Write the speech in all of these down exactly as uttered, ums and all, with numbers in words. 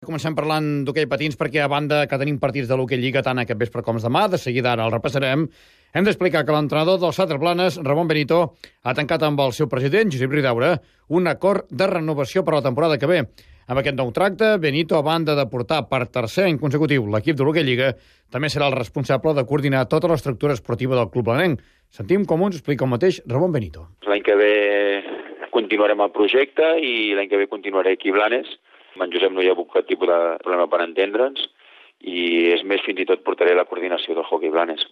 Comencem parlant d'hoquei patins perquè, a banda que tenim partits de l'hoquei Lliga tant aquest vespre com demà, de seguida ara el repassarem, hem d'explicar que l'entrenador del Sàter Blanes, Ramon Benito, ha tancat amb el seu president, Josep Ridaura, un acord de renovació per a la temporada que ve. Amb aquest nou tracte, Benito, a banda de portar per tercer any consecutiu l'equip de l'hoquei Lliga, també serà el responsable de coordinar tota l'estructura esportiva del club blanenc. Sentim com ens explica el mateix Ramon Benito. L'any que ve continuarem el projecte i l'any que ve continuaré aquí a Blanes. Amb en Josep no hi ha hagut cap tipus de problema per entendre'ns i, és més, fins i tot portaré la coordinació del hoquei Blanes.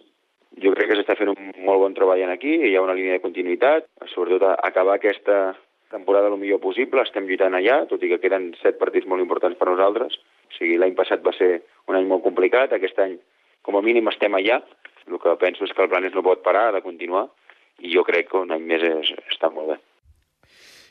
Jo crec que s'està fent un molt bon treball aquí, hi ha una línia de continuïtat, sobretot a acabar aquesta temporada el millor possible, estem lluitant allà, tot i que queden set partits molt importants per nosaltres. O sigui, l'any passat va ser un any molt complicat, aquest any com a mínim estem allà. El que penso és que el Blanes no pot parar de continuar i jo crec que un any més és, està molt bé.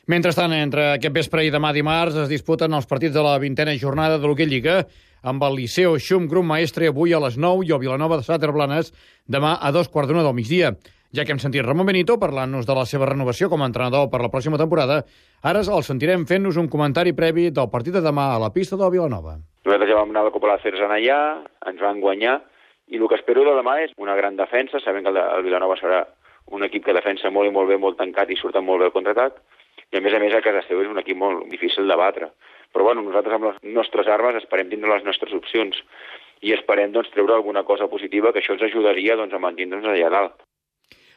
Mentrestant, entre aquest vespre i demà dimarts es disputen els partits de la vintena jornada de l'hoquei Lliga amb el Liceo Xum Grup Maestre avui a les nou i el Vilanova de Sàter Blanes demà a dos quarts d'una del migdia. Ja que hem sentit Ramon Benito parlant-nos de la seva renovació com a entrenador per la pròxima temporada, ara el sentirem fent-nos un comentari previ del partit de demà a la pista del Vilanova. Nosaltres ja vam anar a la Copa de la Ceres allà, ens van guanyar, i el que espero de demà és una gran defensa, sabent que el Vilanova serà un equip que defensa molt i molt bé, molt tancat i surten molt bé al contraatac, i a més a més a casa seu és un equip molt difícil de batre. Però bueno, nosaltres amb les nostres armes esperem tindre les nostres opcions i esperem doncs, treure alguna cosa positiva, que això ens ajudaria doncs, a mantenir-nos allà dalt.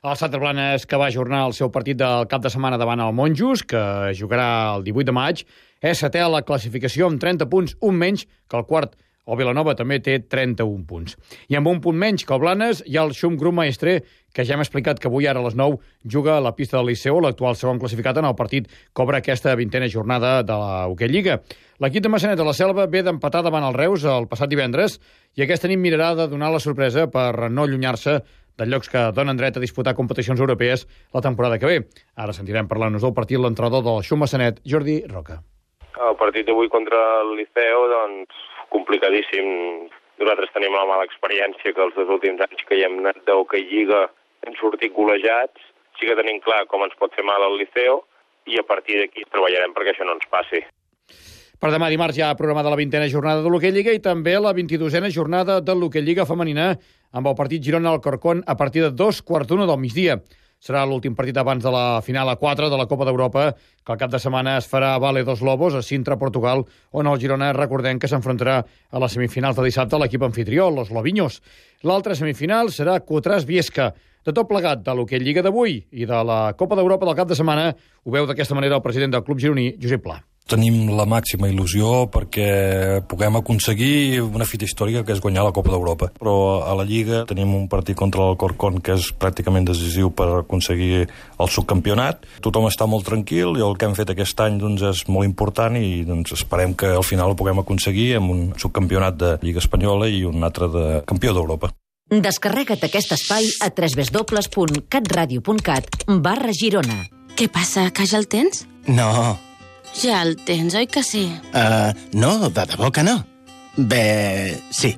El Sàter Blanes, que va ajornar el seu partit del cap de setmana davant el Monjos, que jugarà el divuit de maig, és setè a la classificació amb trenta punts, un menys que el quart. El Vilanova també té trenta-un punts. I amb un punt menys que el Blanes hi ha el Xum Grup Maestre, que ja hem explicat que avui ara a les nou juga a la pista del Liceu, l'actual segon classificat en el partit que obre aquesta vintena jornada de la Hoquei Lliga. L'equip de Maçanet de la Selva ve d'empatar davant el Reus el passat divendres i aquesta nit mirarà de donar la sorpresa per no allunyar-se de llocs que donen dret a disputar competicions europees la temporada que ve. Ara sentirem parlar-nos del partit l'entrenador del Xum Maçanet, Jordi Roca. El partit d'avui contra el Liceu, doncs, complicadíssim. Nosaltres tenim la mala experiència que els dos últims anys que hi hem anat d'Hoquei Lliga hem sortit golejats. Sí que tenim clar com ens pot fer mal al Liceu i a partir d'aquí treballarem perquè això no ens passi. Per demà dimarts hi ha programada la vintena jornada de l'Hoquei Lliga i també la vint-i-dosena jornada de l'Hoquei Lliga femenina amb el partit Girona-Alcorcón a partir de dos quarts d'una del migdia. Serà l'últim partit abans de la final a quatre de la Copa d'Europa, que al cap de setmana es farà a Vale dos Lobos, a Sintra, Portugal, on el Girona, recordem que s'enfrontarà a les semifinals de dissabte a l'equip anfitrió, los Lobiños. L'altra semifinal serà Cotràs-Viesca. De tot plegat de l'Hoquei Lliga d'avui i de la Copa d'Europa del cap de setmana, ho veu d'aquesta manera el president del club gironí, Josep Pla. Tenim la màxima il·lusió perquè puguem aconseguir una fita històrica que és guanyar la Copa d'Europa. Però a la Lliga tenim un partit contra l'Alcorcón que és pràcticament decisiu per aconseguir el subcampionat. Tothom està molt tranquil i el que hem fet aquest any doncs, és molt important i doncs, esperem que al final ho puguem aconseguir amb un subcampionat de Lliga Espanyola i un altre de campió d'Europa. Descarrega't aquest espai a w w w punt catradio punt cat barra Girona. Què passa, que ja el tens? No. Ja el tens, oi que sí? Uh, no, de debò que no. Bé, sí.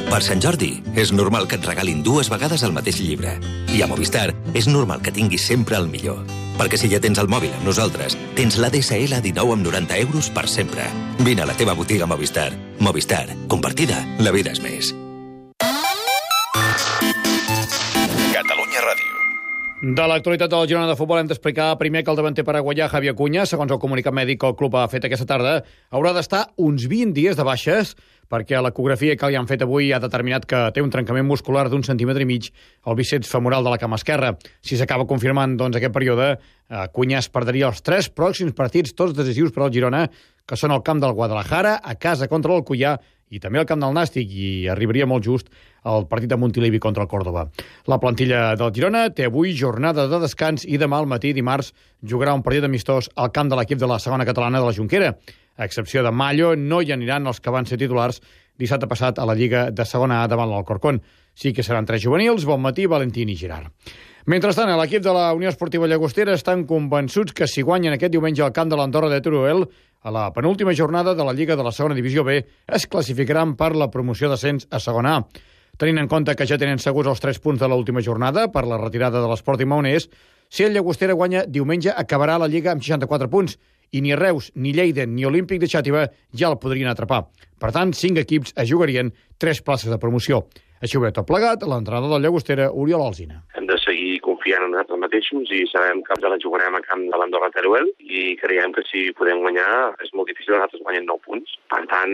Per Sant Jordi, és normal que et regalin dues vegades el mateix llibre. I a Movistar, és normal que tinguis sempre el millor. Perquè si ja tens el mòbil amb nosaltres, tens l'A D S L a dinou amb noranta euros per sempre. Vine a la teva botiga Movistar. Movistar, compartida, la vida és més. Catalunya Ràdio. De l'actualitat del Girona de futbol hem d'explicar primer que el davanter paraguaià Javier Acuña, segons el comunicat mèdic que el club ha fet aquesta tarda, haurà d'estar uns vint dies de baixes perquè l'ecografia que li han fet avui ha determinat que té un trencament muscular d'un centímetre i mig al bíceps femoral de la cama esquerra. Si s'acaba confirmant doncs, aquest període, Acuña es perdria els tres pròxims partits, tots decisius per al Girona, que són al camp del Guadalajara, a casa contra l'Alcoyà i també al camp del Nàstic, i arribaria molt just el partit de Montilivi contra el Córdoba. La plantilla del Girona té avui jornada de descans i demà al matí, dimarts, jugarà un partit amistós al camp de l'equip de la segona catalana de la Jonquera. A excepció de Mallo, no hi aniran els que van ser titulars dissabte passat a la Lliga de segona A davant l'Alcorcón. Sí que seran tres juvenils, Bonmatí, Valentín i Girard. Mentrestant, a l'equip de la Unió Esportiva Llagostera estan convençuts que si guanyen aquest diumenge al camp de l'Andorra de Teruel, a la penúltima jornada de la Lliga de la segona divisió B, es classificaran per la promoció d'ascens a segona A. Tenint en compte que ja tenen segurs els tres punts de l'última jornada per la retirada de l'Esport i Maonès, si el Llagostera guanya diumenge acabarà la Lliga amb seixanta-quatre punts i ni Reus, ni Lleida, ni Olímpic de Xàtiva ja el podrien atrapar. Per tant, cinc equips es jugarien tres places de promoció. Així ho veu tot plegat l'entrenador del Llagostera, Oriol Alsina. Hem de seguir confiant en nosaltres mateixos i sabem que la jugarem a camp de l'Andorra Teruel i creiem que si podem guanyar és molt difícil que nosaltres guanyem nou punts. Per tant,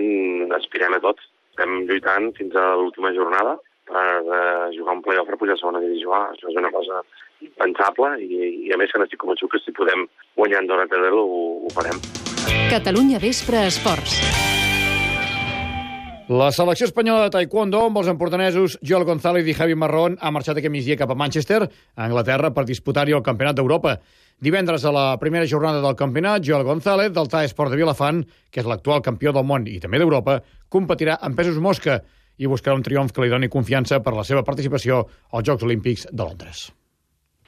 aspirem a tot. Estem lluitant fins a l'última jornada per uh, jugar un play-off per pujar a segona divisió A. Això és una cosa impensable i, i a més que n'estic convençut que si podem guanyar Andorra Teruel ho, ho farem. Catalunya Vespre Esports. La selecció espanyola de taekwondo amb els empordanesos Joel González i Javi Marrón ha marxat aquest migdia cap a Manchester, a Anglaterra, per disputar-hi el Campionat d'Europa. Divendres, a la primera jornada del campionat, Joel González, del Thai Sport de Vilafant, que és l'actual campió del món i també d'Europa, competirà en pesos mosca i buscarà un triomf que li doni confiança per la seva participació als Jocs Olímpics de Londres.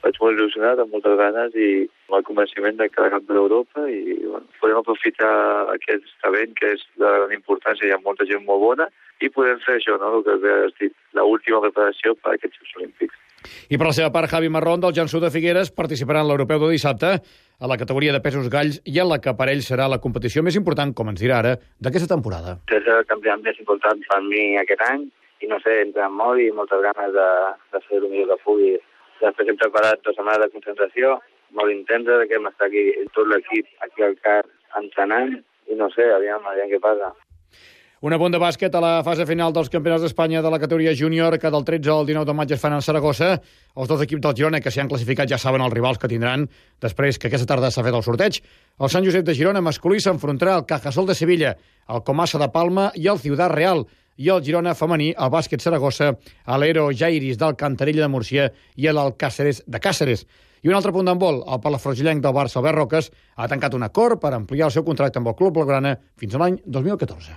Vaig molt il·lusionat, amb moltes ganes i amb el convenciment de cada camp d'Europa i bueno, podem aprofitar aquest talent que és de gran importància, hi ha molta gent molt bona i podem fer això, no? El que has dit, l'última preparació per a aquests Jocs Olímpics. I per la seva part, Javi Marrón, del Jansu de Figueres, participarà en l'Europeu de dissabte a la categoria de pesos galls i en la que per ell serà la competició més important, com ens dirà ara, d'aquesta temporada. És el campionat més important per mi aquest any i no sé, entre molt i moltes ganes de, de fer el millor que pugui. Després hem preparat dues setmanes de concentració, molt intensa, que hem estat aquí, tot l'equip aquí al C A R entrenant, i no sé, aviam, aviam què passa. Un apunt de bàsquet a la fase final dels campionats d'Espanya de la categoria júnior, que del tretze al dinou de maig es fan a Saragossa. Els dos equips del Girona que s'hi han classificat ja saben els rivals que tindran després que aquesta tarda s'ha fet el sorteig. El Sant Josep de Girona masculí s'enfrontarà al Cajasol de Sevilla, el Comassa de Palma i el Ciudad Real, i el Girona femení, el Bàsquet Saragossa, a l'Ero Jairis del Cantarella de Múrcia i l'Alcàceres de Càceres. I un altre punt d'handbol, el palafrugillenc del Barça, Albert Roques, ha tancat un acord per ampliar el seu contracte amb el club blaugrana fins a l'any dos mil catorze.